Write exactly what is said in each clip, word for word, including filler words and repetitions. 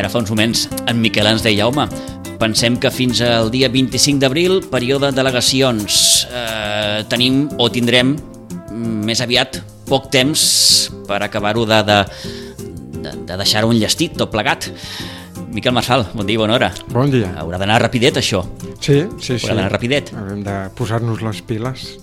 Ara fa uns moments en Miquel ens deia, home, pensem que fins al dia vint-i-cinc d'abril, període de delegacions, eh, tenim o tindrem més aviat poc temps per acabar-ho de, de, de, de deixar-ho enllestit, tot plegat. Miquel Marçal, bon dia i bona hora. Bon dia. Haurà d'anar rapidet, això. Sí, sí, sí. Haurà d'anar rapidet. Haurem de posar-nos les piles.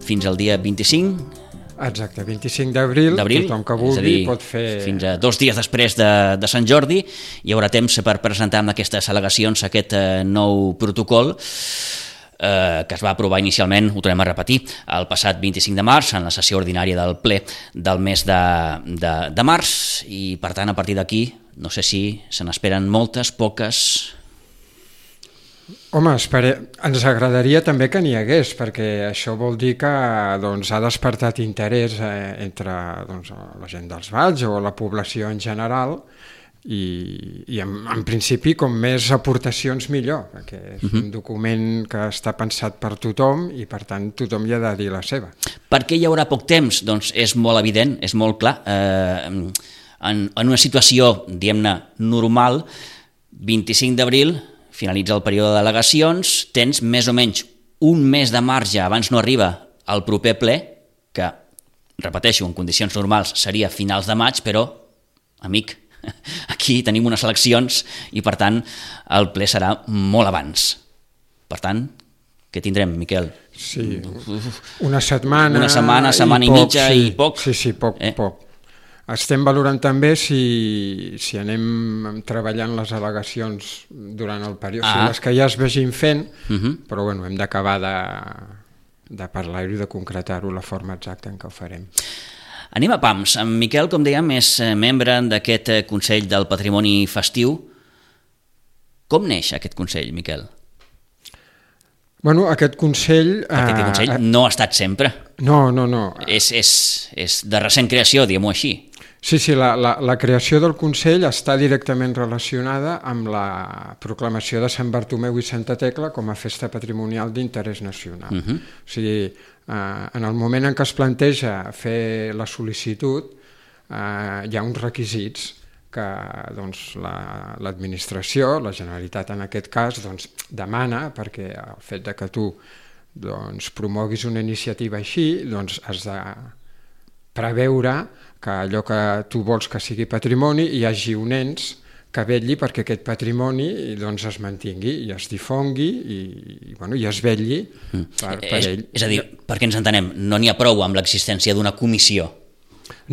Fins al dia vint-i-cinc. Exacte, vint-i-cinc d'abril, tothom que vulgui dir, pot fer... Fins a dos dies després de, de Sant Jordi hi haurà temps per presentar amb aquestes al·legacions aquest eh, nou protocol eh, que es va aprovar inicialment, ho tornem a repetir, el passat vint-i-cinc de març, en la sessió ordinària del ple del mes de, de, de març, i per tant a partir d'aquí no sé si se n'esperen moltes, poques... Home, espere... ens agradaria també que n'hi hagués, perquè això vol dir que doncs, ha despertat interès eh, entre doncs, la gent dels valls o la població en general, i, i en, en principi com més aportacions millor, perquè és uh-huh. un document que està pensat per tothom i per tant tothom hi ha de dir la seva. Per què hi haurà poc temps? Doncs és molt evident, és molt clar. Eh, en, en una situació, diguem-ne, normal, vint-i-cinc d'abril... finalitza el període de delegacions, tens més o menys un mes de marge abans no arriba al proper ple, que, repeteixo, en condicions normals seria finals de maig, però, amic, aquí tenim unes eleccions i, per tant, el ple serà molt abans. Per tant, què tindrem, Miquel? Sí, una setmana... Una setmana, setmana i, i poc, mitja sí, i poc. Sí, sí, poc, eh? poc. Estem valorant també si, si anem treballant les al·legacions durant el període, ah. o sigui, les que ja es vegin fent, uh-huh. però bueno, hem d'acabar de, de parlar-ho i de concretar-ho la forma exacta en què ho farem. Anem a pams. En Miquel, com dèiem, és membre d'aquest Consell del Patrimoni Festiu. Com neix aquest Consell, Miquel? Bueno, aquest Consell... Perquè aquest Consell eh, no ha estat sempre. No, no, no. És, és, és de recent creació, diguem-ho així. Sí, sí, la, la, la creació del Consell està directament relacionada amb la proclamació de Sant Bartomeu i Santa Tecla com a festa patrimonial d'interès nacional. Uh-huh. O sigui, eh, en el moment en què es planteja fer la sol·licitud, eh, hi ha uns requisits que doncs, la, l'administració, la Generalitat en aquest cas, doncs, demana, perquè el fet de que tu doncs, promoguis una iniciativa així, doncs has de preveure que allò que tu vols que sigui patrimoni hi hagi un ens que vetlli perquè aquest patrimoni doncs, es mantingui i es difongui i, i, bueno, i es vetlli per, per és, ell. És a dir, perquè ens entenem, no n'hi ha prou amb l'existència d'una comissió.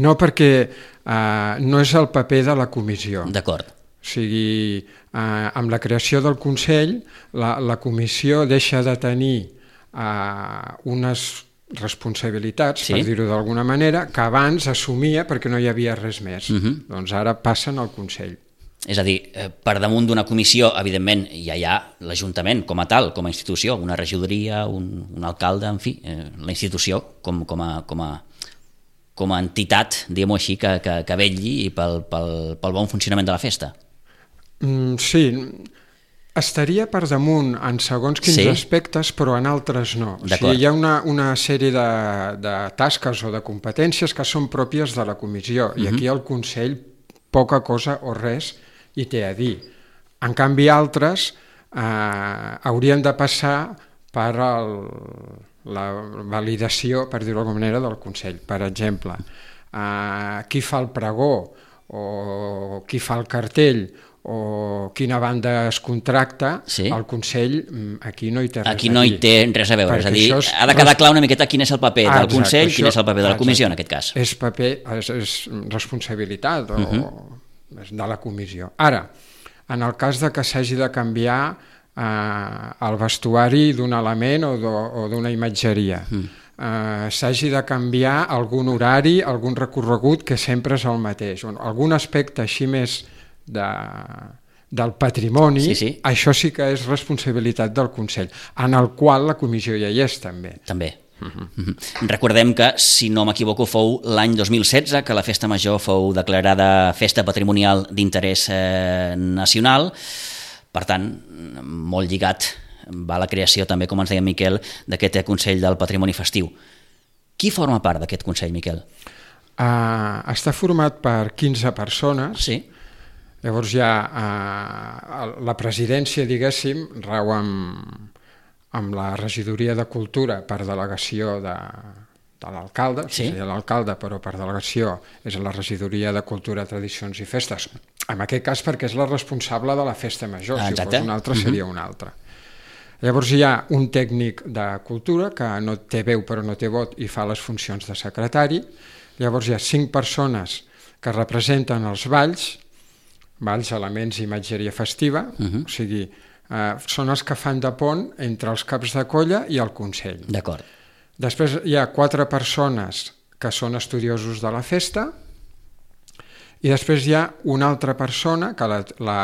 No, perquè eh, no és el paper de la comissió. D'acord. O sigui, eh, amb la creació del Consell, la, la comissió deixa de tenir eh, unes responsabilitats, sí, per dir-ho d'alguna manera, que abans assumia perquè no hi havia res més. Uh-huh. Doncs ara passen al Consell. És a dir, per damunt d'una comissió, evidentment, ja hi ha l'Ajuntament com a tal, com a institució, una regidoria, un, un alcalde, en fi, eh, la institució com, com, a, com, a, com a entitat, diguem-ho així, que, que, que vetlli pel, pel, pel bon funcionament de la festa. Mm, sí, estaria per damunt en segons quins sí? aspectes, però en altres no. O sigui, hi ha una, una sèrie de, de tasques o de competències que són pròpies de la comissió, uh-huh. i aquí el Consell poca cosa o res hi té a dir. En canvi, altres eh, haurien de passar per el, la validació, per dir-ho d'alguna manera, del Consell. Per exemple, eh, qui fa el pregó, o qui fa el cartell, o quina banda es contracta, sí? El Consell aquí no hi té res aquí no hi té res a veure, és a dir, és... ha de quedar clar una miqueta quin és el paper ah, del exacte, Consell, això, quin és el paper de la Comissió exacte. En aquest cas. És paper, és, és responsabilitat o, uh-huh. de la Comissió. Ara, en el cas de que s'hagi de canviar eh, el vestuari d'un element o, do, o d'una imatgeria, uh-huh. eh, s'hagi de canviar algun horari, algun recorregut que sempre és el mateix, algun aspecte així més De, del patrimoni, sí, sí. Això sí que és responsabilitat del Consell, en el qual la comissió ja hi és també. També. Uh-huh. Uh-huh. Recordem que, si no m'equivoco, fou l'any dos mil setze que la Festa Major fou declarada Festa Patrimonial d'Interès eh, Nacional, per tant, molt lligat va la creació també, com ens deia Miquel, d'aquest Consell del Patrimoni Festiu. Qui forma part d'aquest Consell, Miquel? Uh, està format per quinze persones, sí. Llavors ja eh, la presidència, diguéssim, rau amb, amb la regidoria de cultura per delegació de, de l'alcalde, sí? O sigui, l'alcalde, però per delegació és la regidoria de cultura, tradicions i festes, en aquest cas perquè és la responsable de la festa major, ah, si fos una altra seria una altra. Llavors hi ha un tècnic de cultura que no té veu però no té vot i fa les funcions de secretari. Llavors hi ha cinc persones que representen els balls, balls, elements i imatgeria festiva, uh-huh. O sigui, eh, són els que fan de pont entre els caps de colla i el Consell. D'acord. Després hi ha quatre persones que són estudiosos de la festa i després hi ha una altra persona que la, la,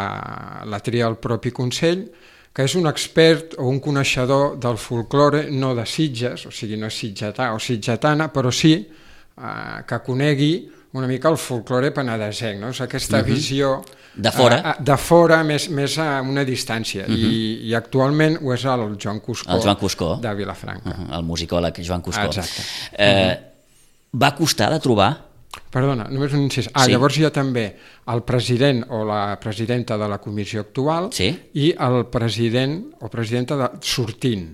la tria el propi Consell, que és un expert o un coneixedor del folklore, no de Sitges, o sigui, no és sitgetà o sitgetana, però sí eh, que conegui una mica el folklore penedesenc, no? És aquesta uh-huh. visió de fora, eh, de fora més, més a una distància. Uh-huh. I, I actualment ho és el Joan Cuscó, el Joan Cuscó. de Vilafranca. Uh-huh. El musicòleg Joan Cuscó. Exacte. Eh, uh-huh. Va costar de trobar? Perdona, només un incís. Ah, sí. Llavors hi ha també el president o la presidenta de la comissió actual sí? i el president o presidenta de sortint.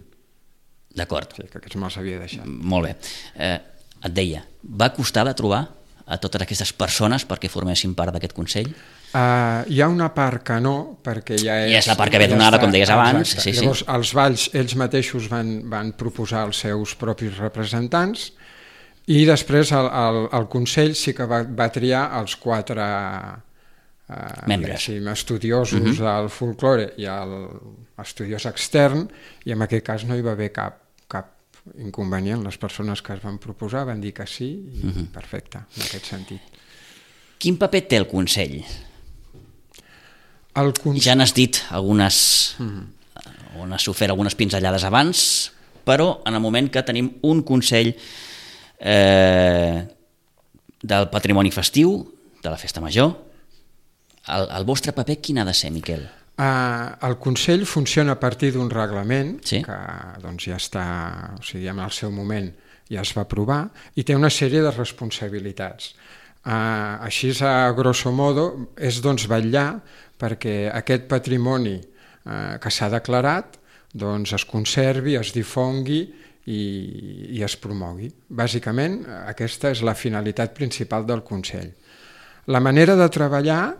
D'acord. Sí, que aquests me'ls havia deixat. Molt bé. Eh, et deia, va costar de trobar a totes aquestes persones perquè formessin part d'aquest Consell? Uh, hi ha una part que no, perquè ja és... Ja és la part que ve donada, ja com deies abans. Sí, Llavors, sí. els balls, ells mateixos van, van proposar els seus propis representants i després el, el, el Consell sí que va, va triar els quatre eh, membres estudiosos uh-huh. del folklore i l'estudiós extern, i en aquest cas no hi va haver cap, cap inconvenient. Les persones que es van proposar van dir que sí i uh-huh. perfecte, en aquest sentit. Quin paper té el Consell? El Consell... Ja n'has dit algunes, uh-huh. on has ofert algunes pinzellades abans, però en el moment que tenim un Consell Eh, del patrimoni festiu, de la festa major, el, el vostre paper quin ha de ser, Miquel? Uh, el Consell funciona a partir d'un reglament sí? que doncs, ja està, o sigui, en el seu moment ja es va aprovar i té una sèrie de responsabilitats. Uh, així, a grosso modo, és doncs, vetllar perquè aquest patrimoni uh, que s'ha declarat doncs, es conservi, es difongui I, i es promogui. Bàsicament, aquesta és la finalitat principal del Consell. La manera de treballar,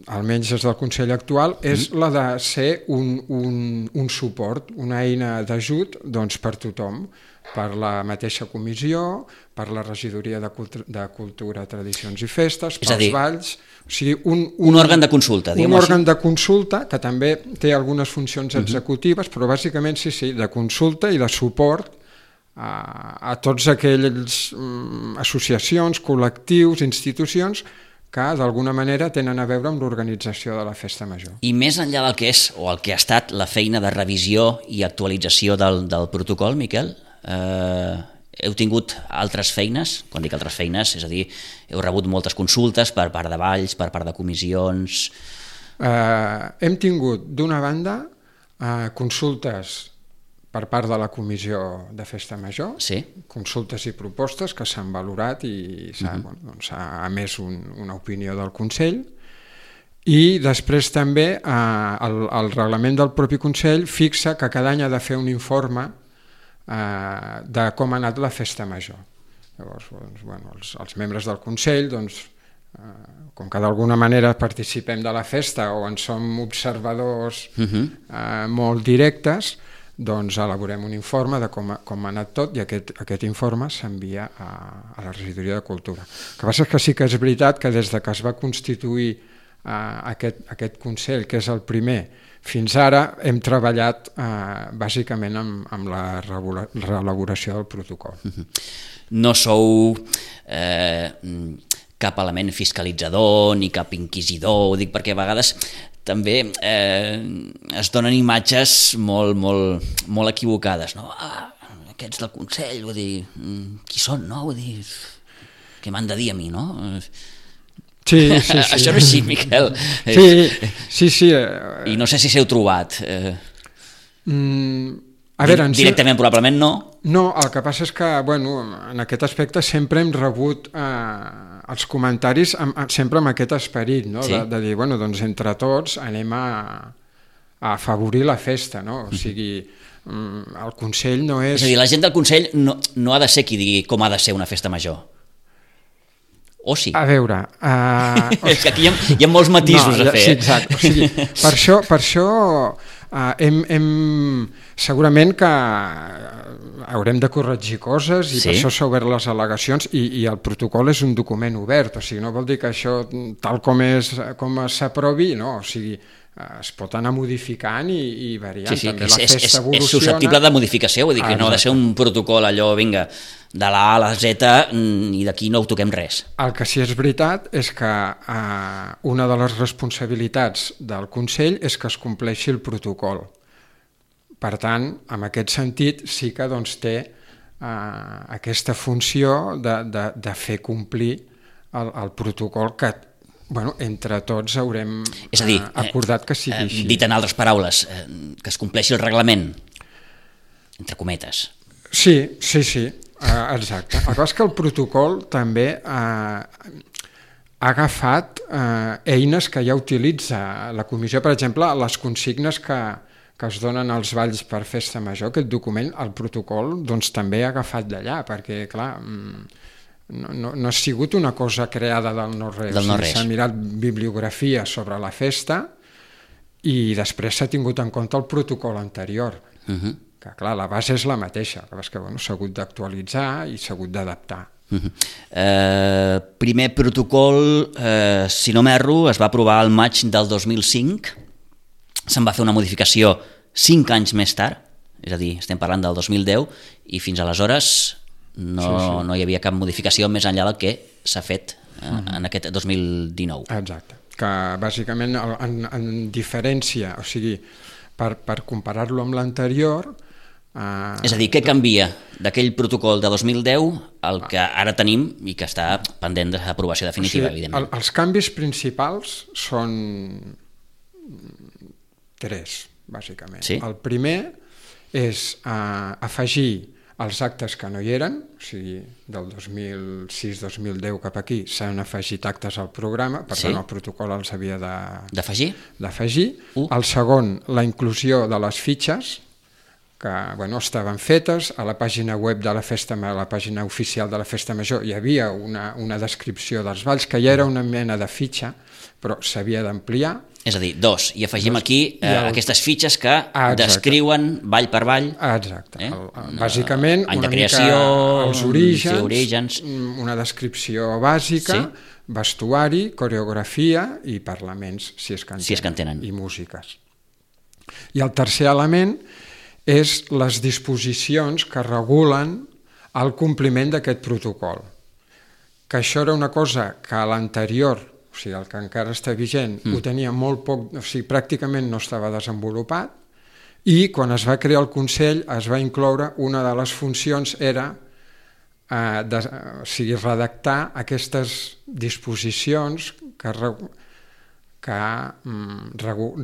almenys des del Consell actual, és mm. la de ser un, un, un suport, una eina d'ajut doncs, per tothom, per la mateixa comissió, per la regidoria de, cultu de cultura, tradicions i festes, és pels dir, balls... O sigui, un, un, un òrgan de consulta, un òrgan així. de consulta que també té algunes funcions executives, mm-hmm. però bàsicament sí, sí, de consulta i de suport a, a tots aquells um, associacions, col·lectius, institucions que d'alguna manera tenen a veure amb l'organització de la festa major. I més enllà del que és o el que ha estat la feina de revisió i actualització del, del protocol, Miquel, eh, heu tingut altres feines? Quan dic altres feines, és a dir, heu rebut moltes consultes per part de balls, per part de comissions... Eh, hem tingut, d'una banda, eh, consultes per part de la Comissió de Festa Major, sí? consultes i propostes que s'han valorat i s'ha uh-huh. bueno, doncs, emès un, una opinió del Consell, i després també eh, el, el reglament del propi Consell fixa que cada any ha de fer un informe eh, de com ha anat la Festa Major. Llavors, doncs, bueno, els, els membres del Consell, doncs, eh, com que d'alguna manera participem de la festa o en som observadors uh-huh. eh, molt directes, doncs elaborem un informe de com ha, com ha anat tot i aquest, aquest informe s'envia a, a la regidoria de cultura. El que passa és que sí que és veritat que des de que es va constituir eh, aquest, aquest Consell, que és el primer, fins ara hem treballat eh, bàsicament amb, amb la reelaboració del protocol. No sou eh, cap element fiscalitzador ni cap inquisidor, ho dic perquè a vegades també eh, es donen imatges molt, molt, molt equivocades, no? Ah, aquests del Consell, vull dir, qui són, no? Vull dir, què m'han de dir a mi, no? Sí, sí, sí. Això no és així, Miquel. Sí, sí, sí. I no sé si s'heu trobat. Eh... Mm, A veure, Directament, probablement no. No, el que passa és que, bueno, en aquest aspecte sempre hem rebut eh, els comentaris amb, sempre amb aquest esperit, no? Sí. De, de dir, bueno, doncs entre tots anem a, a afavorir la festa, no? O sigui, el Consell no és... És a dir, la gent del Consell no, no ha de ser qui digui com ha de ser una festa major. O sí? A veure... Uh, és que aquí hi ha, hi ha molts matisos no, a fer. Sí, exacte. O sigui, per això, per això uh, hem, hem, segurament que haurem de corregir coses i sí. Per això s'ha obert les al·legacions i, i el protocol és un document obert, o sigui, no vol dir que això tal com és com s'aprovi, no, o sigui, es pot anar modificant i, i variant. Sí, sí, també és, la festa és, evoluciona. És susceptible de modificació, vull dir que ah, no ha de ser un protocol allò, vinga, de la A a la Z i d'aquí no ho toquem res. El que sí és veritat és que eh, una de les responsabilitats del Consell és que es compleixi el protocol. Per tant, en aquest sentit sí que doncs, té eh, aquesta funció de, de, de fer complir el, el protocol que bueno, entre tots haurem és a dir, eh, acordat que sigui eh, així. Dit en altres paraules, eh, que es compleixi el reglament, entre cometes. Sí, sí, sí, eh, exacte. El que és que el protocol també eh, ha agafat eh, eines que ja utilitza la comissió, per exemple, les consignes que, que es donen als balls per festa major, aquest document, el protocol, doncs també ha agafat d'allà, perquè, clar... No, no, no ha sigut una cosa creada del no-res, del no-res. S'ha mirat bibliografia sobre la festa i després s'ha tingut en compte el protocol anterior, uh-huh. que clar, la base és la mateixa, que bueno, s'ha hagut d'actualitzar i s'ha hagut d'adaptar. Uh-huh. eh, primer protocol, eh, si no m'erro, es va aprovar al maig del dos mil cinc, se'n va fer una modificació cinc anys més tard, és a dir, estem parlant del dos mil deu, i fins aleshores... No, sí, sí. no hi havia cap modificació més enllà del que s'ha fet eh, uh-huh. en aquest dos mil dinou. Exacte, que bàsicament en, en diferència, o sigui, per, per comparar-lo amb l'anterior... Eh, és a dir, què canvia d'aquell protocol de dos mil deu al que ara tenim i que està pendent d'aprovació definitiva, o sigui, evidentment? El, els canvis principals són tres, bàsicament. Sí? El primer és eh, afegir els actes que no hi eren, o sigui, del dos mil sis dos mil deu cap aquí s'han afegit actes al programa, per sí? tant el protocol els havia de... d'afegir. D'afegir. Uh. El segon, la inclusió de les fitxes, que bueno, estaven fetes, a la pàgina web de la festa, a la pàgina oficial de la Festa Major hi havia una, una descripció dels balls, que ja era una mena de fitxa, però s'havia d'ampliar. És a dir, dos, i afegim dos, aquí eh, el... aquestes fitxes que ah, descriuen ball per ball. Exacte. Eh? El, bàsicament, any una de creació, mica els orígens, sí, orígens, una descripció bàsica, sí? Vestuari, coreografia i parlaments, si és que en si és que en tenen. I músiques. I el tercer element és les disposicions que regulen el compliment d'aquest protocol. Que això era una cosa que a l'anterior, o sigui, el que encara està vigent, mm. ho tenia molt poc, o sigui, pràcticament no estava desenvolupat, i quan es va crear el Consell es va incloure, una de les funcions era eh, de, o sigui, redactar aquestes disposicions que, que mm,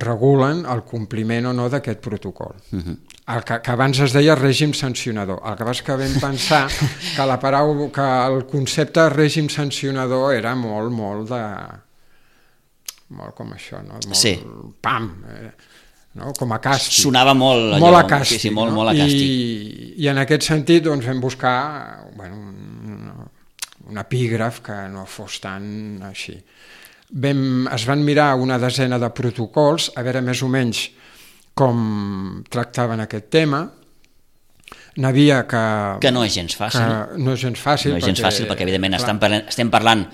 regulen el compliment o no d'aquest protocol. Mm-hmm. El que, que abans es deia règim sancionador. El que va és que vam pensar que, la paraula, que el concepte règim sancionador era molt, molt de... molt com això, no? Molt, sí. Pam! Eh, no? Com a càstig. Sonava molt allò. Molt a càstig. Sí, sí, molt, no? molt a càstig. I, I en aquest sentit doncs, vam buscar bueno, un, un epígraf que no fos tan així. Vam, es van mirar una desena de protocols, a veure més o menys com tractaven aquest tema. N'havia que... Que no és gens fàcil. No és gens fàcil. No és gens perquè, fàcil perquè, evidentment, estem parlant, estem parlant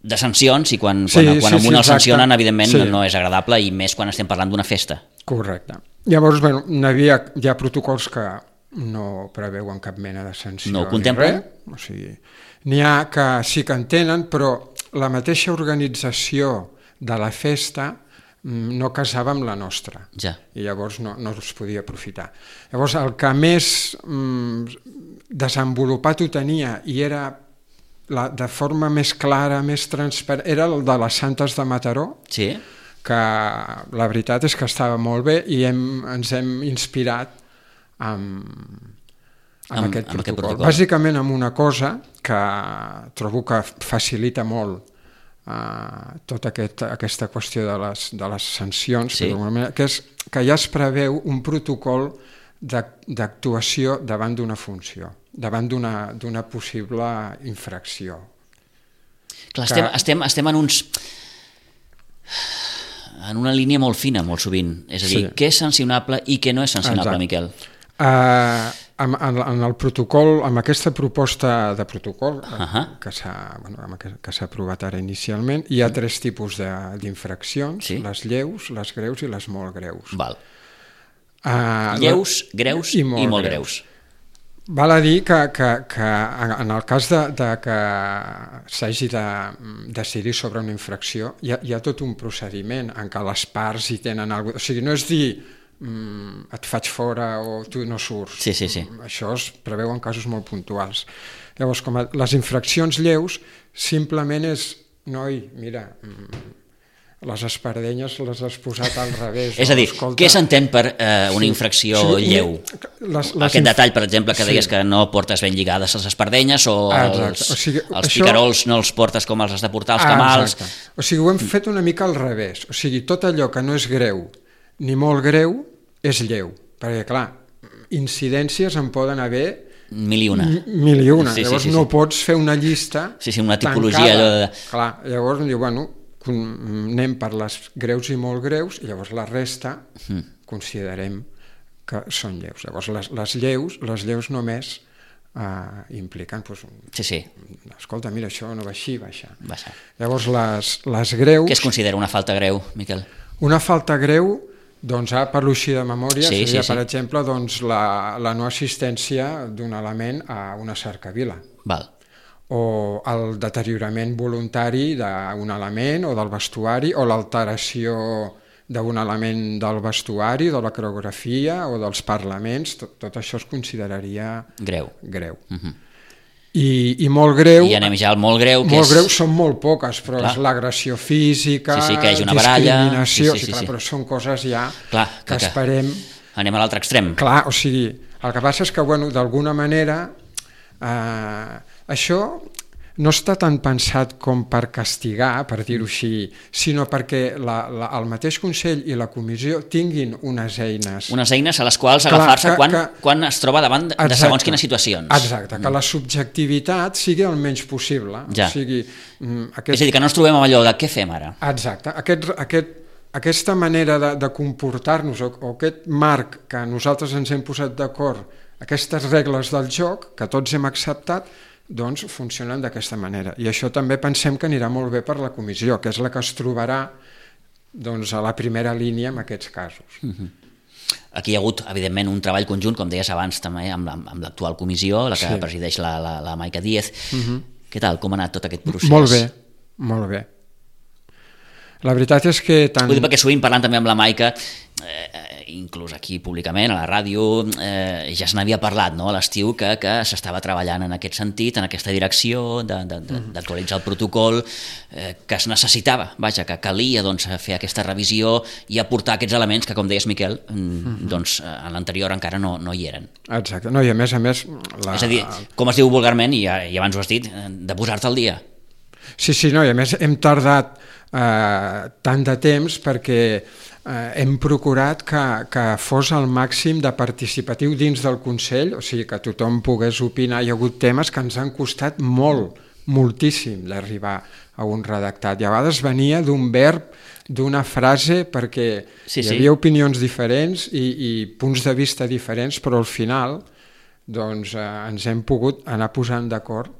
de sancions i quan, sí, quan, quan sí, a un sí, el sancionen, evidentment, sí. no és agradable i més quan estem parlant d'una festa. Correcte. Llavors, bueno, n'havia, hi ha protocols que no preveuen cap mena de sanció. No ho contemplen? O sigui, n'hi ha que sí que en tenen, però la mateixa organització de la festa no casava amb la nostra, ja. I llavors no, no es podia aprofitar. Llavors el que més mm, desenvolupat ho tenia i era la, de forma més clara, més transparent, era el de les Santes de Mataró, sí. que la veritat és que estava molt bé i hem, ens hem inspirat amb, amb, amb, aquest, amb protocol. aquest protocol. Bàsicament amb una cosa que trobo que facilita molt uh, tota aquest, aquesta qüestió de les, de les sancions, sí. que, que és que ja es preveu un protocol d'actuació davant d'una funció, davant d'una possible infracció. Clar, estem, que... estem, estem en uns... en una línia molt fina, molt sovint. És a dir, sí. què és sancionable i què no és sancionable, Exacte. Miquel? Uh, en, en el protocol, amb aquesta proposta de protocol uh-huh. que s'ha bueno, que s'ha aprovat ara inicialment, hi ha tres tipus d'infraccions, sí? les lleus, les greus i les molt greus. Val. Uh, lleus, greus i molt, i molt greus. greus. Val a dir que, que, que en el cas de, de que s'hagi de decidir sobre una infracció, hi ha, hi ha tot un procediment en què les parts hi tenen alguna cosa. O sigui, no és dir mm, et faig fora o tu no surts. Sí, sí, sí. Això es preveu en casos molt puntuals. Llavors, com a les infraccions lleus, simplement és, noi, mira, les espardenyes les has posat al revés. És a dir, escolta... què s'entén per eh, una infracció sí, sí, lleu? Les, les Aquest inf... detall, per exemple, que deies sí. que no portes ben lligades les espardenyes o ah, els, o sigui, els això... picarols no els portes com els has de portar, els ah, camals... Exacte. O sigui, ho hem fet una mica al revés. O sigui, tot allò que no és greu ni molt greu és lleu. Perquè, clar, incidències en poden haver... Mil i una. Mil i una. Sí, llavors sí, sí, no sí. pots fer una llista Sí, sí, una tipologia... Allò de... Clar, llavors diu, bueno... anem per les greus i molt greus i llavors la resta mm. considerem que són lleus. Llavors les, les lleus les lleus només uh, impliquen pues, un, sí, sí. escolta, mira, això no va així, va així. Va ser. Llavors les, les greus... Què es considera una falta greu, Miquel? Una falta greu, doncs, ah, parlo així de memòria, sí, seria, sí, sí. per exemple, doncs, la, la no assistència d'un element a una cercavila. Val. O el deteriorament voluntari d'un element o del vestuari, o l'alteració d'un element del vestuari, de la coreografia o dels parlaments, tot, tot això es consideraria greu. greu. Uh-huh. I, I molt greu... I anem ja al molt greu, que molt és... greu són molt poques, però clar. És l'agressió física, sí, sí, que hi hagi una baralla, discriminació, sí, sí, sí, sí, clar, sí. però són coses ja clar, que, que esperem... Anem a l'altre extrem. Clar, o sigui, el que passa és que, bueno, d'alguna manera... Eh, això no està tan pensat com per castigar, per dir-ho així, sinó perquè la, la, el mateix Consell i la Comissió tinguin unes eines... Unes eines a les quals agafar-se quan, que, quan es troba davant de, exacte, de segons quines situacions. Exacte, que la subjectivitat sigui el menys possible. Ja. O sigui, aquest... És a dir, que no ens trobem amb allò de què fem ara. Exacte, aquest, aquest, aquesta manera de, de comportar-nos o, o aquest marc que nosaltres ens hem posat d'acord, aquestes regles del joc que tots hem acceptat, doncs funcionen d'aquesta manera. I això també pensem que anirà molt bé per la comissió, que és la que es trobarà doncs, a la primera línia en aquests casos. Uh-huh. Aquí hi ha hagut, evidentment, un treball conjunt, com deies abans, també amb, la, amb l'actual comissió, la que sí. presideix la, la, la Maica Díez. Uh-huh. Què tal? Com ha anat tot aquest procés? Molt bé, molt bé. La veritat és que... Tant... Vull dir, perquè sovint parlant també amb la Maica, eh, inclús aquí públicament, a la ràdio, eh, ja se n'havia parlat, no?, a l'estiu, que, que s'estava treballant en aquest sentit, en aquesta direcció, d'actualitzar el protocol, eh, que es necessitava, vaja, que calia doncs, fer aquesta revisió i aportar aquests elements que, com deies, Miquel, mm, doncs, en l'anterior encara no, no hi eren. Exacte, no, i a més a més... La... És a dir, com es diu vulgarment, i, i abans ho has dit, de posar-te al dia. Sí, sí, no, i a més hem tardat eh, tant de temps perquè eh, hem procurat que, que fos el màxim de participatiu dins del Consell, o sigui, que tothom pogués opinar. Hi ha hagut temes que ens han costat molt, moltíssim d'arribar a un redactat. I a vegades venia d'un verb, d'una frase, perquè sí, hi havia sí. opinions diferents i, i punts de vista diferents, però al final doncs, eh, ens hem pogut anar posant d'acord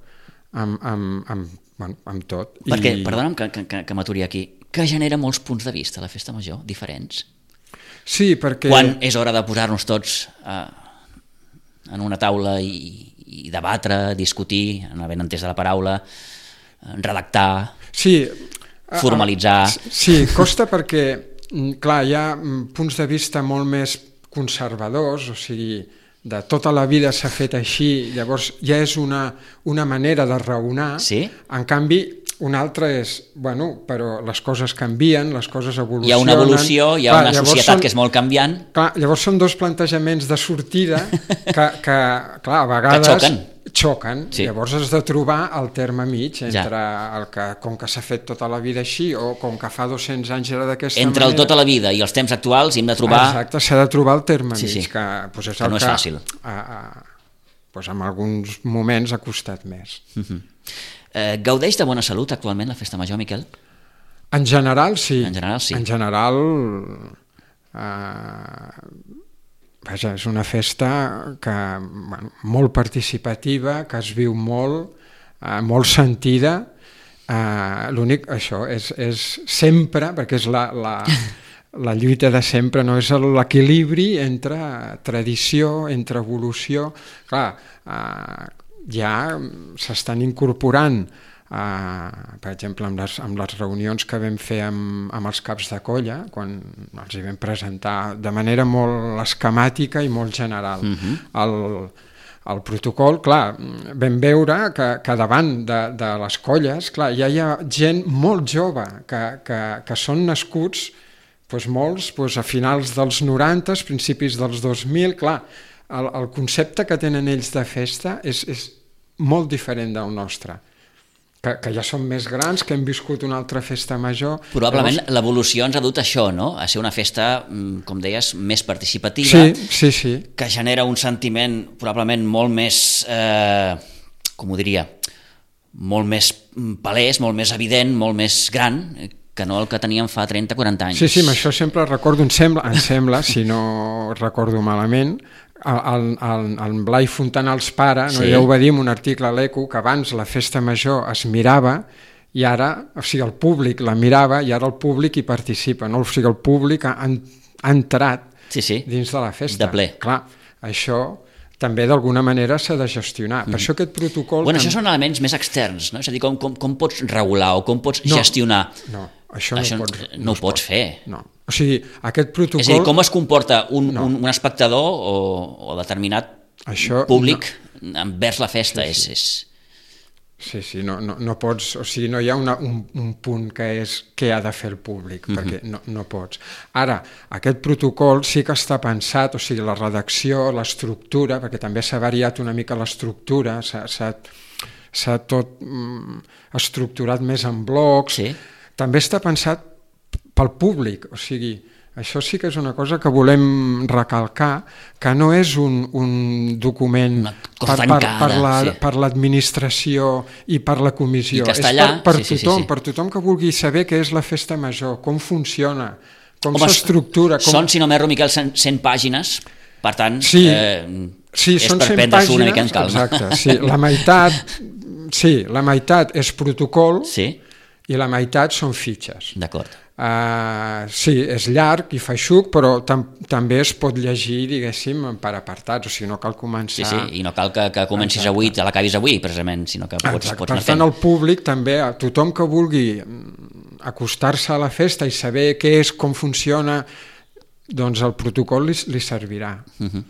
amb, amb, amb Bueno, amb tot. Perquè, I... perdona'm que, que, que m'aturi aquí, que genera molts punts de vista la festa major, diferents. Sí, perquè... Quan és hora de posar-nos tots eh, en una taula i, i debatre, discutir, en el ben entès de la paraula, redactar, sí, formalitzar... Sí, costa perquè, clar, hi ha punts de vista molt més conservadors, o sigui... de tota la vida s'ha fet així, llavors ja és una, una manera de raonar. Sí? En canvi, un altre és, bueno, però les coses canvien, les coses evolucionen... Hi ha una evolució, hi ha clar, una societat són, que és molt canviant. Clar, llavors són dos plantejaments de sortida que, que clar, a vegades... Que xoquen. Xoquen, sí. Llavors has de trobar el terme mig entre ja. el que, com que s'ha fet tota la vida així, o com que fa dos-cents anys era d'aquesta manera... Entre el tota la vida i els temps actuals hem de trobar... Exacte, s'ha de trobar el terme sí, mig, sí. que, pues és que el no és que, fàcil. A, a, pues en alguns moments ha costat més. Uh-huh. eh, gaudeix de bona salut actualment la Festa Major, Miquel? En general, sí. En general, sí. En general... Eh, Vaja, és una festa que, bueno, molt participativa, que es viu molt, eh, molt sentida. Eh, l'únic, això, és, és sempre, perquè és la, la, la lluita de sempre, no és l'equilibri entre tradició, entre evolució. Clar, eh, ja s'estan incorporant Uh, per exemple, amb les, amb les reunions que vam fer amb, amb els caps de colla, quan els hi vam presentar de manera molt esquemàtica i molt general uh-huh. el, el protocol, clar, vam veure que, que davant de, de les colles, clar, ja hi ha gent molt jove que, que, que són nascuts, doncs molts doncs a finals dels noranta, principis dels dos mil, clar, el, el concepte que tenen ells de festa és, és molt diferent del nostre. Que, que ja són més grans, que hem viscut una altra festa major. Probablement llavors... l'evolució ens ha dut a això, no? A ser una festa, com deies, més participativa, sí, sí, sí. que genera un sentiment probablement molt més, eh, com ho diria, molt més palès, molt més evident, molt més gran, que no el que teníem fa trenta o quaranta anys. Sí, sí, això sempre recordo, em sembla, em sembla si no recordo malament, el, el, el Blai Fontanals pare, no, sí. Ja ho va dir en un article a l'Eco, que abans la festa major es mirava i ara, o sigui, el públic la mirava i ara el públic hi participa, no? O sigui, el públic ha, ha entrat sí, sí. dins de la festa. De ple. Clar, això també d'alguna manera s'ha de gestionar. Mm. Per això aquest protocol... Bueno, això són elements més externs, no? És a dir, com, com, com pots regular o com pots no, gestionar? No, això no, això pots, no, no ho pots pot. fer. No. O sigui, aquest protocol... És a dir, com es comporta un, no. un, un espectador o, o determinat això públic no. envers la festa? Sí, sí. És, és... sí, sí no, no, no pots... O sigui, no hi ha una, un, un punt que és què ha de fer el públic, mm-hmm. perquè no, no pots. Ara, aquest protocol sí que està pensat, o sigui, la redacció, l'estructura, perquè també s'ha variat una mica l'estructura, s'ha, s'ha, s'ha tot mm, estructurat més en blocs, sí. També està pensat pel públic, o sigui, això sí que és una cosa que volem recalcar, que no és un, un document per, per, per, la, sí. per l'administració i per la comissió, és per, per sí, tothom, sí, sí. per tothom que vulgui saber què és la festa major, com funciona, com Home, s'estructura... Com... Són, si no m'erro, Miquel, cent pàgines, per tant, sí, eh, sí, és per prendre-s'ho una mica en calma. Exacte, sí, la meitat, sí, la meitat és protocol sí. i la meitat són fitxes. D'acord. Uh, sí, és llarg i feixuc, però tam també es pot llegir, diguéssim, per apartats, o sigui, no cal començar... Sí, sí, i no cal que, que comencis Exacte. avui, te l'acabis avui, precisament, sinó que pots, pots anar fent. Per tant, el públic també, tothom que vulgui acostar-se a la festa i saber què és, com funciona, doncs el protocol li, li servirà. Uh-huh.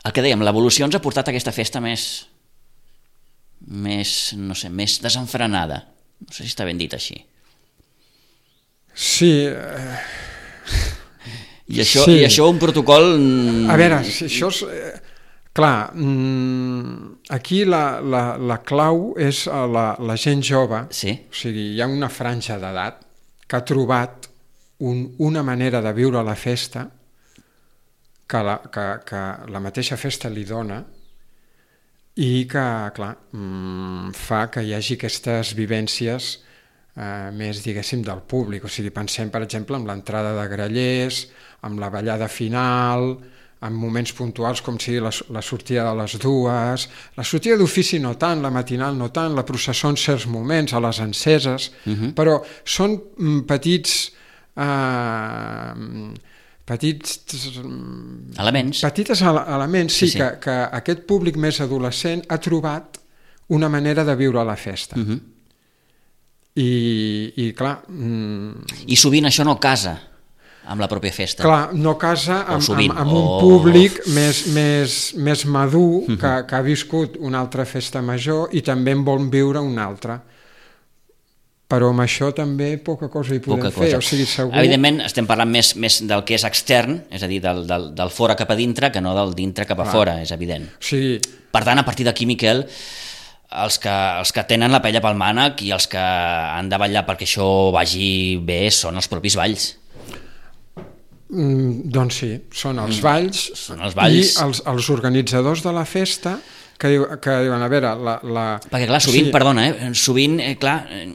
El que dèiem, l'evolució ens ha portat a aquesta festa més, més, no sé, més desenfrenada. No sé si està ben dit així. Sí. Eh... I, això, sí. I això un protocol... A veure, si això és... Eh, clar, aquí la, la, la clau és la, la gent jove, sí. O sigui, hi ha una franja d'edat que ha trobat un, una manera de viure la festa que la, que, que la mateixa festa li dona i que, clar, fa que hi hagi aquestes vivències Uh, més, diguéssim, del públic. O sigui, pensem, per exemple, en l'entrada de grallers, amb la ballada final, en moments puntuals com sigui la, la sortida de les dues, la sortida d'ofici no tant, la matinal no tant, la processó en certs moments, a les enceses, uh-huh. però són mm, petits... Uh, petits elements, petites elements sí, sí, sí. Que, que aquest públic més adolescent ha trobat una manera de viure la festa. Uh-huh. I, i clar... Mm, I sovint això no casa amb la pròpia festa. Clar, no casa amb, sovint, amb, amb un o... públic més, més, més madur uh-huh. que, que ha viscut una altra festa major i també en vol viure una altra. però amb això també poca cosa hi podem Poca fer. cosa. O sigui, segur... Evidentment estem parlant més, més del que és extern, és a dir, del, del, del fora cap a dintre, que no del dintre cap a Clar. fora, és evident. O sigui... Per tant, a partir d'aquí, Miquel, els que, els que tenen la pella pel mànec i els que han de vetllar perquè això vagi bé són els propis balls. Mm, doncs sí, són els balls, són els balls. i els, els organitzadors de la festa que, diu, que diuen, a veure... La, la... Perquè clar, sovint, o sigui... perdona, eh, sovint, eh, clar, eh,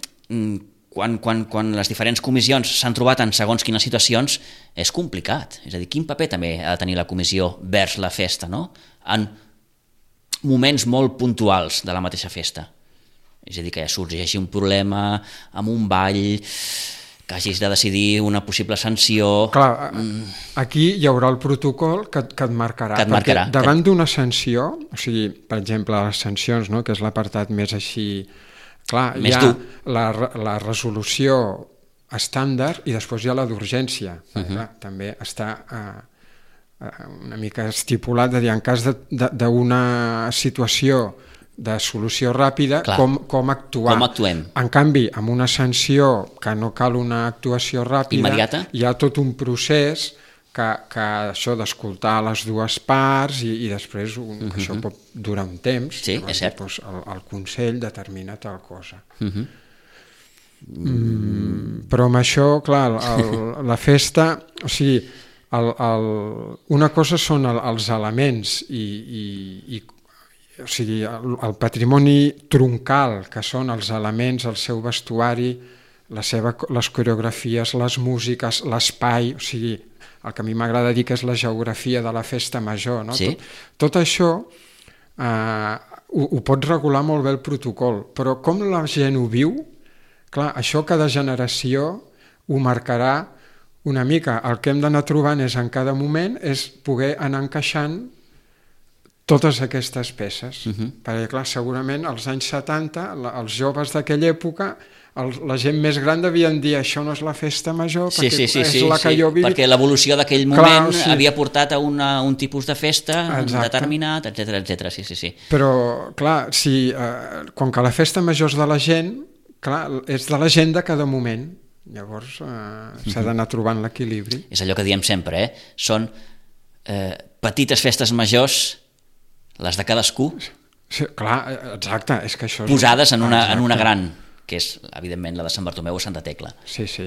quan, quan, quan les diferents comissions s'han trobat en segons quines situacions, és complicat. És a dir, quin paper també ha de tenir la comissió vers la festa, no? En moments molt puntuals de la mateixa festa. És a dir, que ja sorgeixi un problema amb un ball, que hagis de decidir una possible sanció... Clar, aquí hi haurà el protocol que, que et marcarà. Que et marcarà. Perquè davant d'una sanció, o sigui, per exemple, les sancions, no?, que és l'apartat més així... Clar, més hi ha dur. la, la resolució estàndard i després hi ha la d'urgència. Uh-huh. Clar, també està eh, una mica estipulat de dir, en cas d'una situació de solució ràpida, Clar. com, com actuar. Com actuem. En canvi, amb una sanció que no cal una actuació ràpida, immediata, hi ha tot un procés que, que això d'escoltar les dues parts i, i després un, uh-huh. això pot durar un temps. Sí, és cert. Doncs el, el Consell determina tal cosa. Uh-huh. Mm, però amb això, clar, el, la festa, o sigui, el, el, una cosa són el, els elements i, i, i o sigui, el, el patrimoni troncal, que són els elements, el seu vestuari, la seva, les coreografies, les músiques, l'espai, o sigui, el que a mi m'agrada dir que és la geografia de la festa major, no? Sí. Tot, tot això eh, ho, ho pot regular molt bé el protocol, però com la gent ho viu, clar, això cada generació ho marcarà una mica. El que hem d'anar trobant és en cada moment és poder anar encaixant totes aquestes peces, uh-huh. perquè clar, segurament als anys setanta, la, els joves d'aquella època, el, la gent més gran devien dir això no és la festa major, sí, perquè sí, sí, és sí, la que sí, jo vivi. Perquè l'evolució d'aquell Clar, moment sí. havia portat a una, un tipus de festa Exacte. determinat, etcètera, etcètera, sí, sí, sí. Però, clar, si, eh, com que la festa major és de la gent, clar, és de la gent de cada moment, llavors eh, uh-huh. s'ha d'anar trobant l'equilibri. És allò que diem sempre, eh? Són eh, petites festes majors, les de cadascú, sí, clar, exacte, és que això és... posades en una, exacte. en una gran, que és, evidentment, la de Sant Bartomeu o Santa Tecla. Sí, sí,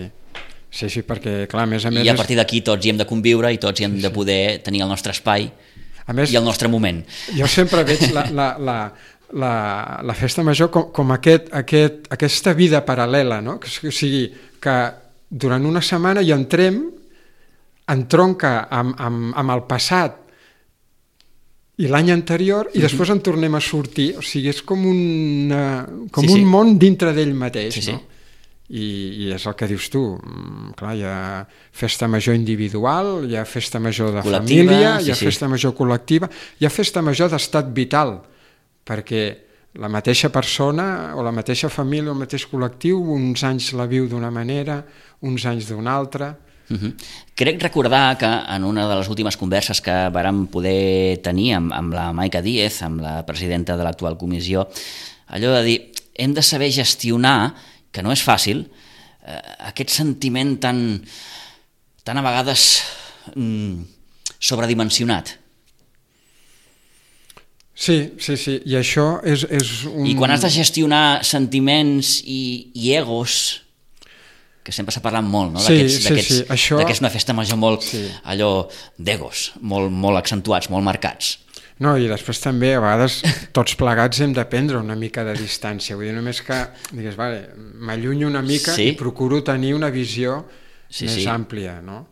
sí, sí, perquè, clar, a més a més... I a partir d'aquí tots hi hem de conviure i tots hi hem sí, de poder sí. tenir el nostre espai a més, i el nostre moment. Jo sempre veig la, la, la, la, la festa major com, com aquest, aquest, aquesta vida paral·lela, no? Que, o sigui, que durant una setmana hi entrem, entronca amb, amb, amb el passat i l'any anterior, i després en tornem a sortir, o sigui, és com, una, com sí, un sí. món dintre d'ell mateix, sí, no? Sí. I, I és el que dius tu, clar, hi ha festa major individual, hi ha festa major de col·lectiva, família, sí, hi ha sí. festa major col·lectiva, hi ha festa major d'estat vital, perquè la mateixa persona o la mateixa família o el mateix col·lectiu uns anys la viu d'una manera, uns anys d'una altra. Uh-huh. Crec recordar que en una de les últimes converses que vàrem poder tenir amb, amb la Maica Díez, amb la presidenta de l'actual comissió, allò de dir, hem de saber gestionar, que no és fàcil, eh, aquest sentiment tan, tan a vegades mm, sobredimensionat. Sí, sí, sí, i això és, és un... I quan has de gestionar sentiments i, i egos, que sempre s'ha parlat molt, no? Sí, d'aquests, sí, d'aquests, sí. Això... d'aquests una festa major molt, sí. allò d'egos, molt, molt accentuats, molt marcats. No, i després també a vegades tots plegats hem de prendre una mica de distància, vull dir, només que digues, vale, m'allunyo una mica sí. i procuro tenir una visió sí, més sí. àmplia, no?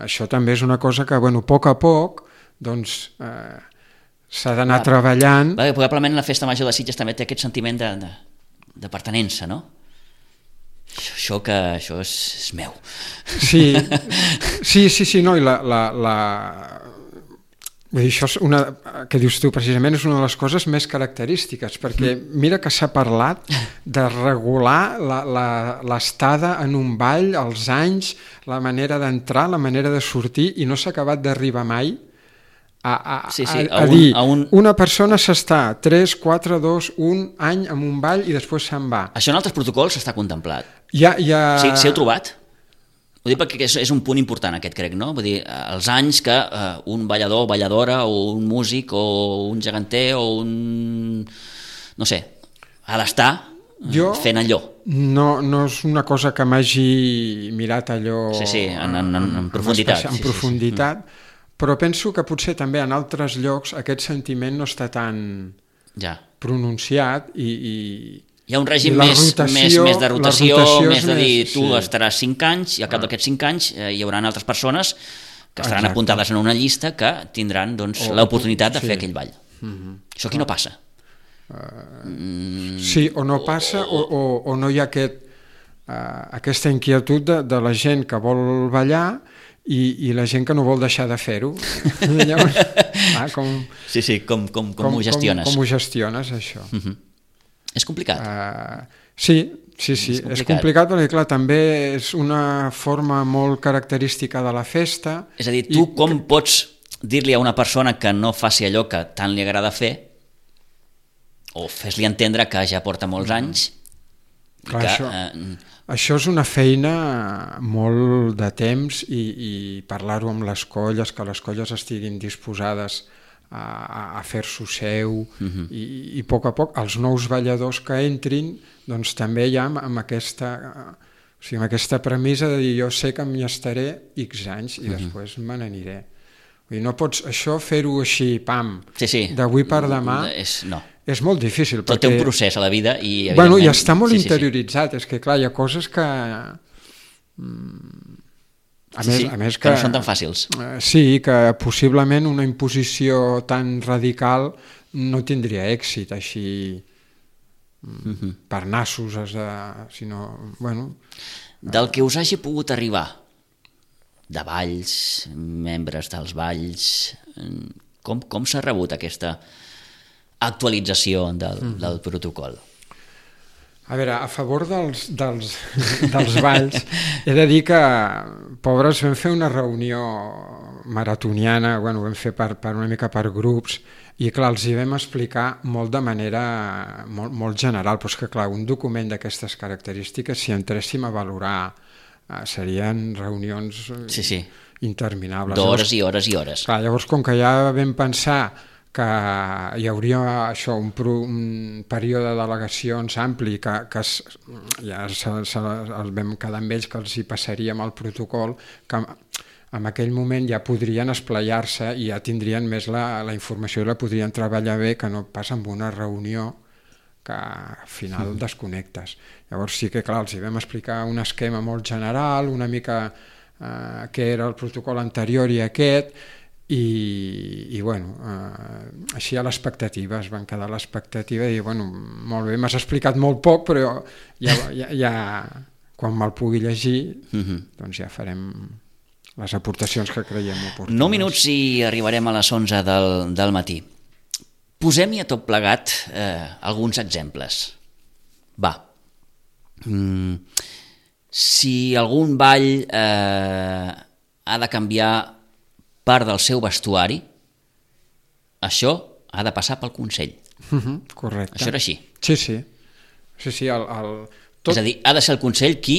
Això també és una cosa que, bueno, a poc a poc, doncs, eh, s'ha d'anar ah, treballant. Va, probablement la festa major de Sitges també té aquest sentiment de, de, de pertenença, no? Això que això és, és meu. Sí, sí, sí, sí, no, i la, la, la... Vull dir, això és una, que dius tu, precisament és una de les coses més característiques, perquè mira que s'ha parlat de regular l'estada en un ball, els anys, la manera d'entrar, la manera de sortir, i no s'ha acabat d'arribar mai a, a, sí, sí, a, a, a un, dir a un... una persona s'està tres, quatre, dos, un any en un ball i després se'n va. Això en altres protocols està contemplat. Ja, ja... Sí, sí heu trobat? Ho dic perquè és, és un punt important aquest, crec, no? Vull dir, els anys que uh, un ballador, balladora, o un músic, o un geganter, o un... no sé, ha d'estar jo, fent allò. No, no és una cosa que m'hagi mirat allò... Sí, sí, en, en, en, en profunditat. En, en profunditat, sí, sí, sí. Però penso que potser també en altres llocs aquest sentiment no està tan ja. pronunciat i... i hi ha un règim més, rotació, més, més de rotació, més de dir, més, tu sí. estaràs cinc anys i al cap ah. d'aquests cinc anys eh, hi haurà altres persones que estaran Exacte. apuntades en una llista que tindran doncs, l'oportunitat de sí. fer aquell ball. Mm-hmm. Això aquí no passa. Uh, mm. Sí, o no passa o, o, o no hi ha aquest, uh, aquesta inquietud de, de la gent que vol ballar i, i la gent que no vol deixar de fer-ho. Llavors, ah, com, sí, sí, com, com, com, com ho gestiones. Com, com ho gestiones, això. Mm-hmm. És complicat. Uh, sí, sí, sí, és complicat. és complicat perquè, clar, també és una forma molt característica de la festa. És a dir, tu i... com pots dir-li a una persona que no faci allò que tant li agrada fer, o fes-li entendre que ja porta molts anys... Clar, que, això, eh... això és una feina molt de temps i, i parlar-ho amb les colles, que les colles estiguin disposades a, a fer-s'ho seu uh-huh. i, i a poc a poc els nous balladors que entrin doncs també ja amb, amb aquesta o sigui, amb aquesta premissa de dir jo sé que m'hi estaré X anys i uh-huh. després me n'aniré. Vull dir, no pots això fer-ho així, pam, sí, sí. d'avui per demà és, no. és molt difícil. Tot perquè, té un procés a la vida i bueno, i està molt sí, interioritzat, sí, sí. és que clar, hi ha coses que... Mm, A sí, més, sí, a més que, que no són tan fàcils. Sí, que possiblement una imposició tan radical no tindria èxit així uh-huh. per nassos, has de, sinó, bueno... Del que us hagi pogut arribar, de balls, membres dels balls, com, com s'ha rebut aquesta actualització del, uh-huh. del protocol? A veure, a favor dels, dels, dels balls, he de dir que, pobres, vam fer una reunió maratoniana, bueno, ho vam fer per, per una mica per grups, i clar, els hi vam explicar molt de manera molt, molt general, però és que clar, un document d'aquestes característiques, si entréssim a valorar, eh, serien reunions sí, sí. interminables. D'hores i hores i hores. Clar, llavors, com que ja vam pensar que hi hauria això, un, pro, un període de delegacions ampli que, que es, ja se, se, els vam quedar amb ells que els hi passaríem el protocol, que en aquell moment ja podrien esplaiar-se i ja tindrien més la, la informació i la podrien treballar bé que no pas amb una reunió que al final mm. desconnectes. Llavors sí que clar, els hi vam explicar un esquema molt general, una mica eh, què era el protocol anterior i aquest, i, i bueno, eh, així a l'expectativa, es van quedar a l'expectativa i dir, bueno, molt bé, m'has explicat molt poc, però ja, ja, ja quan me'l pugui llegir, uh-huh. doncs ja farem les aportacions que creiem oportunes. nou minuts i arribarem a les onze del, del matí. Posem-hi a tot plegat eh, alguns exemples. Va. Mm, si algun ball eh, ha de canviar part del seu vestuari, això ha de passar pel Consell. Uh-huh, correcte. Això era així. Sí, sí. sí, sí el, el... Tot... És a dir, ha de ser el Consell qui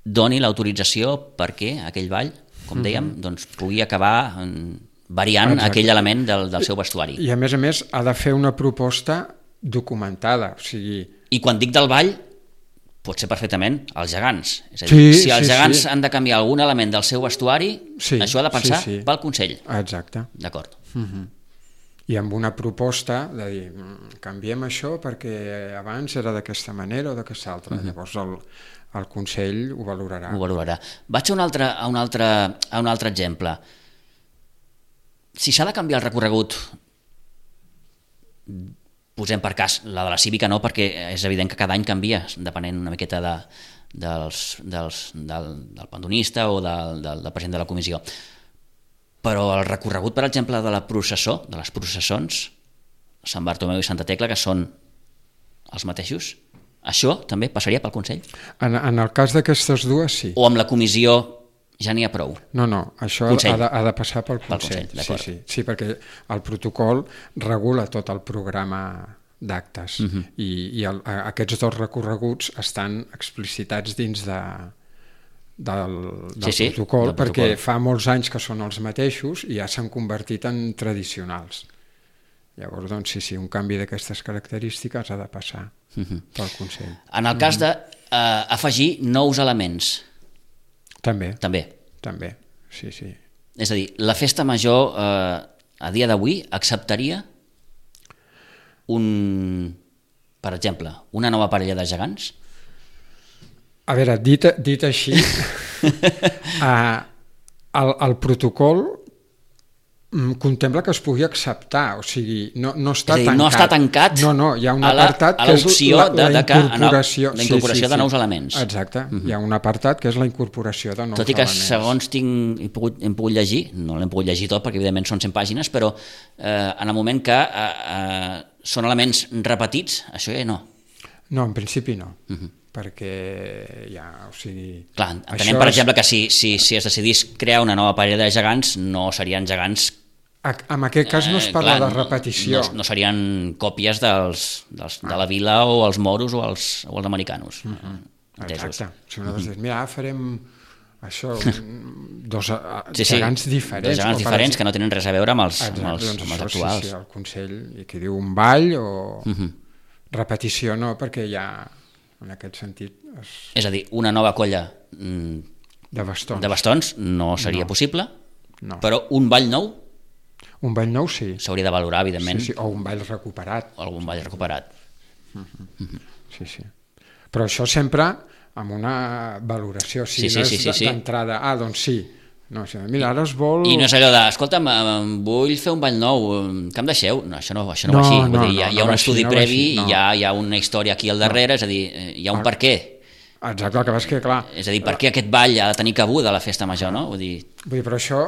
doni l'autorització perquè aquell ball, com dèiem, uh-huh. doncs pugui acabar variant Exacte. aquell element del, del seu vestuari. I a més a més ha de fer una proposta documentada. O sigui... I quan dic del ball, pot ser perfectament els gegants. És a dir, sí, si els sí, gegants sí. han de canviar algun element del seu vestuari, sí, això ha de passar sí, sí. pel Consell. Exacte. D'acord. Uh-huh. I amb una proposta de dir, canviem això perquè abans era d'aquesta manera o d'aquesta altra. Uh-huh. Llavors el, el Consell ho valorarà. Ho valorarà. Vaig a un altre, a un altre, a un altre exemple. Si s'ha de canviar el recorregut, posem per cas la de la cívica, no, perquè és evident que cada any canvia, depenent una miqueta de, dels, dels, del, del pandonista o del, del, del president de la comissió. Però el recorregut, per exemple, de la processó, de les processons, Sant Bartomeu i Santa Tecla, que són els mateixos, això també passaria pel Consell? En, en el cas d'aquestes dues, sí. O amb la comissió ja n'hi ha prou. No, no, això ha de, ha de passar pel Consell. Pel Consell, sí, sí, sí, perquè el protocol regula tot el programa d'actes uh -huh. i, i el, aquests dos recorreguts estan explicitats dins de, del, del sí, protocol, sí, perquè protocol. Fa molts anys que són els mateixos i ja s'han convertit en tradicionals. Llavors, doncs, sí, sí, un canvi d'aquestes característiques ha de passar uh -huh. pel Consell. En el cas d'afegir uh, nous elements. També. També. També, sí, sí. És a dir, la festa major uh, a dia d'avui acceptaria un, per exemple, una nova parella de gegants? A veure, dit, dit així, uh, el, el protocol contempla que es pugui acceptar, o sigui, no, no està dir, tancat. No està tancat no, no, hi ha un apartat a l'opció que és la, la, de, de incorporació, la incorporació sí, sí, de nous sí. elements. Exacte, uh-huh. Hi ha un apartat que és la incorporació de nous elements. Tot i que elements. Segons tinc, hem, pogut, hem pogut llegir, no l'hem pogut llegir tot perquè evidentment són cent pàgines, però eh, en el moment que eh, eh, són elements repetits, això ja no. No, en principi no. Uh-huh. Perquè ja, o sigui... Clar, entenem, per és... exemple, que si, si, si es decidís crear una nova parella de gegants, no serien gegants... En aquest cas no es parla eh, clar, de repetició. No, no serien còpies dels, dels, ah. de la vila o els moros o els, o els americanos. Uh-huh. Exacte. Si nosaltres uh-huh. mira, farem això, dos sí, gegants sí. diferents. Dos gegants diferents que no tenen res a veure amb els, Exacte, amb els, doncs amb els això, actuals. Sí, sí, el Consell, i que diu un ball o uh-huh. repetició no, perquè ja en aquest sentit... Es... És a dir, una nova colla mm, de bastons, de bastons no seria no. possible, no. Però un ball nou un ball nou sí. S'hauria de valorar, evidentment. Sí, sí. O un ball recuperat. O algun ball recuperat. Uh-huh. Uh-huh. Sí, sí. Però això sempre amb una valoració. Si sí, sí, no és sí, sí, sí. d'entrada, ah, doncs sí. No, si, mira, ara es vol... I no és allò de, escolta'm, vull fer un ball nou, que em deixeu? No, això no, això no, no va així. No, Vull dir, hi ha, no, hi ha un no estudi així, previ, no. hi, ha, hi ha una història aquí al darrere, no. És a dir, hi ha un per què. Exacte, el que passa que, clar... És a dir, per què aquest ball ha de tenir cabuda a la festa major, no? Vull dir... Vull dir, però això...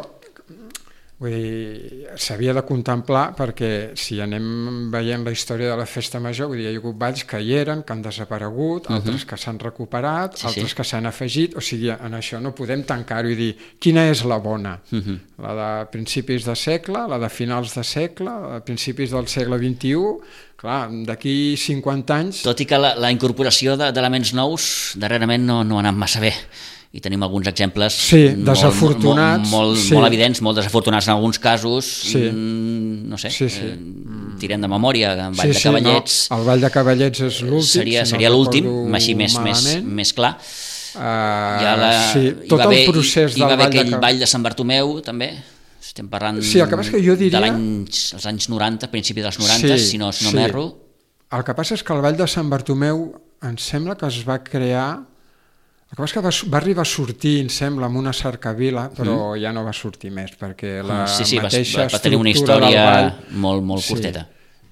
Vull dir, s'havia de contemplar perquè si anem veient la història de la festa major, vull dir, hi ha hagut balls que hi eren, que han desaparegut, uh-huh. altres que s'han recuperat, sí, altres sí. que s'han afegit, o sigui, en això no podem tancar-ho i dir quina és la bona, uh-huh. la de principis de segle, la de finals de segle, la de principis del segle vint-i-u, clar, d'aquí cinquanta anys... Tot i que la, la incorporació d'elements nous darrerament no, no ha anat massa bé. I tenim alguns exemples sí, molt, desafortunats, molt, molt, sí. molt evidents, molt desafortunats en alguns casos, sí. mm, no sé, sí, sí. Eh, tirem de memòria, en Ball sí, de Cavallets... Sí, no. El Ball de Cavallets és l'últim, seria, si seria no l'últim, així més, més, més clar. Uh, la, sí, tot haver, el procés hi, hi va haver aquell de... Ball de Sant Bartomeu, també, estem parlant sí, el que passa que jo diria... de l'anys, els anys noranta, principi dels noranta, sí, si no, si no sí. m'erro. El que passa és que el Ball de Sant Bartomeu em sembla que es va crear... El que passa que va, va arribar a sortir, em sembla, amb una cercavila, però mm. ja no va sortir més, perquè la sí, sí, mateixa va, va tenir una estructura història del ball... molt, molt sí, curteta.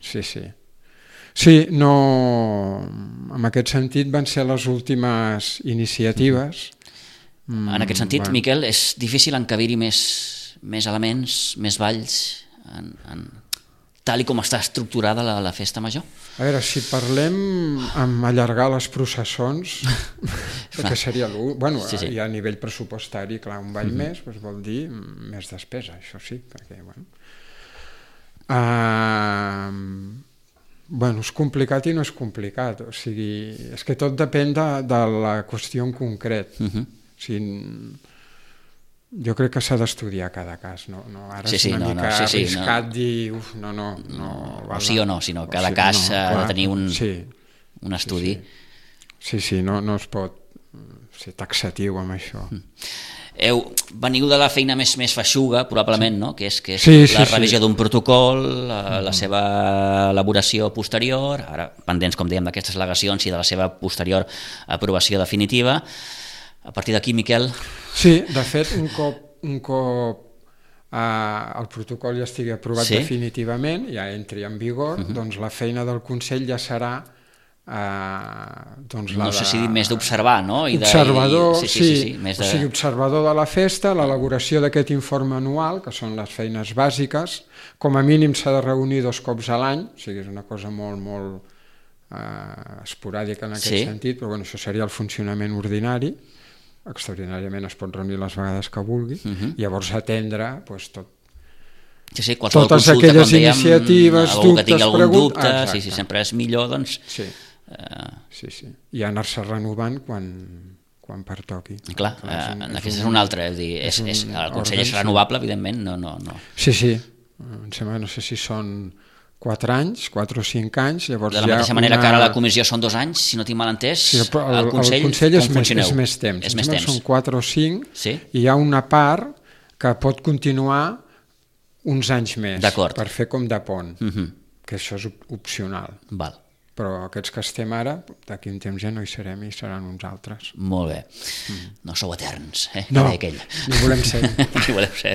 Sí, sí. Sí, no... En aquest sentit van ser les últimes iniciatives. Mm. En aquest sentit, bueno. Miquel, és difícil encabir-hi més, més elements, més balls, en, en, tal i com està estructurada la, la festa major? A veure, si parlem amb allargar les processons, perquè seria l'últim, bueno, sí, sí. a nivell pressupostari, clar, un ball mm-hmm. més doncs vol dir més despesa, això sí, perquè, bueno... Uh, bueno, és complicat i no és complicat, o sigui, és que tot depèn de, de la qüestió en concret. Mm-hmm. O sigui, jo crec que s'ha d'estudiar cada cas, no? no ara sí, és sí, una no, mica no, sí, sí, arriscat no. dir, uf, no, no, no, no o sí o no, sinó cada o sí, cas no, ha clar, de tenir un, sí, un estudi. Sí, sí, sí, sí no, no es pot ser taxatiu amb això. Heu, veniu de la feina més, més feixuga, probablement, no? Que és, que és sí, la sí, revisió sí. d'un protocol, la, mm. la seva elaboració posterior, ara pendents, com dèiem, d'aquestes al·legacions i de la seva posterior aprovació definitiva. A partir d'aquí, Miquel... Sí, de fet, un cop, un cop eh, el protocol ja estigui aprovat sí? definitivament, ja entri en vigor, uh-huh. doncs la feina del Consell ja serà eh, doncs la no sé de... si dir més d'observar, no? I observador, de, i, sí, sí, sí, sí, sí, més de... o sigui, observador de la festa, l'elaboració d'aquest informe anual, que són les feines bàsiques, com a mínim s'ha de reunir dos cops a l'any, o sigui, és una cosa molt, molt eh, esporàdica en aquest sí? sentit, però bueno, això seria el funcionament ordinari. extraordinàriament es pot reunir les vegades que vulgui, uh-huh. llavors atendre doncs, tot, sí, sí, qualsevol totes consulta, aquelles com dèiem, iniciatives, algú dubtes, que tingui algun preguntes... dubte, Exacte. sí, sí, sempre és millor, doncs... Sí, eh... sí, sí. I anar-se renovant quan, quan pertoqui. Clar, clar és un, aquest és un altre, és, dir, és, és, és el Consell és renovable, evidentment, no, no, no. Sí, sí, em sembla, no sé si són quatre anys, quatre o cinc anys, llavors de la mateixa manera una... que ara la comissió són dos anys, si no tinc mal entès, sí, el, el Consell, el Consell és, com més, funcioneu? És més temps, és més temps. Són quatre o cinc, sí? I hi ha una part que pot continuar uns anys més, per fer com de pont, uh-huh. que això és opcional. Val. Però aquests que estem ara, d'aquí un temps ja no hi serem i seran uns altres. Molt bé. Mm. No sou eterns, eh? No, ni volem ser. Ni volem ser.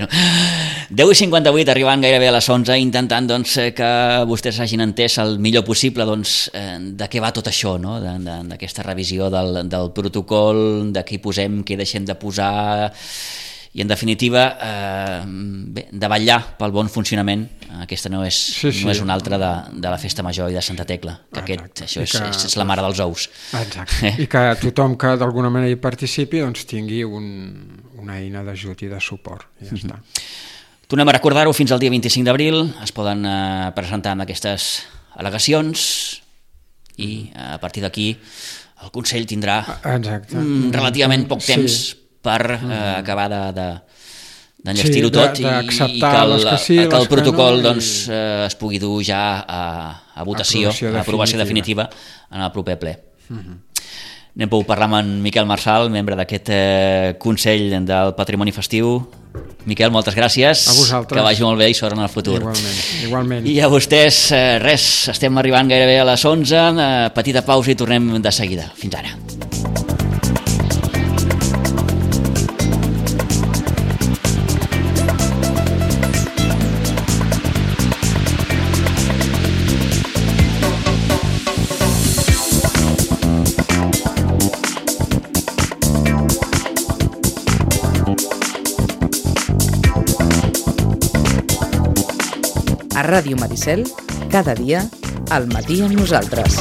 deu i cinquanta-vuit, arribant gairebé a les onze, intentant doncs, que vostès hagin entès el millor possible doncs, de què va tot això, no? D'aquesta revisió del, del protocol, de què hi posem, què hi deixem de posar... I, en definitiva, eh, bé, de vetllar pel bon funcionament. Aquesta no és, sí, sí. no és una altra de, de la Festa Major i de Santa Tecla, que aquest, això és, que, és la mare dels ous. Exacte, eh? I que tothom que d'alguna manera hi participi doncs, tingui un, una eina d'ajut i de suport. I ja mm-hmm. està. Tornem a recordar-ho, fins al dia vint-i-cinc d'abril es poden eh, presentar amb aquestes al·legacions i eh, a partir d'aquí el Consell tindrà mm, relativament poc temps sí. per eh, acabar de, de, d'enllestir-ho sí, tot i, i que el, que, sí, que el protocol no, doncs, eh, es pugui dur ja a, a votació, aprovació a aprovació definitiva en el proper ple. Uh-huh. Anem a parlar amb en Miquel Marçal, membre d'aquest eh, Consell del Patrimoni Festiu. Miquel, moltes gràcies. A vosaltres. Que vagi molt bé i sort en el futur. Igualment, igualment. I a vostès, eh, res, estem arribant gairebé a les onze, eh, petita pausa i tornem de seguida. Fins ara. A Ràdio Maricel, cada dia, al matí amb nosaltres.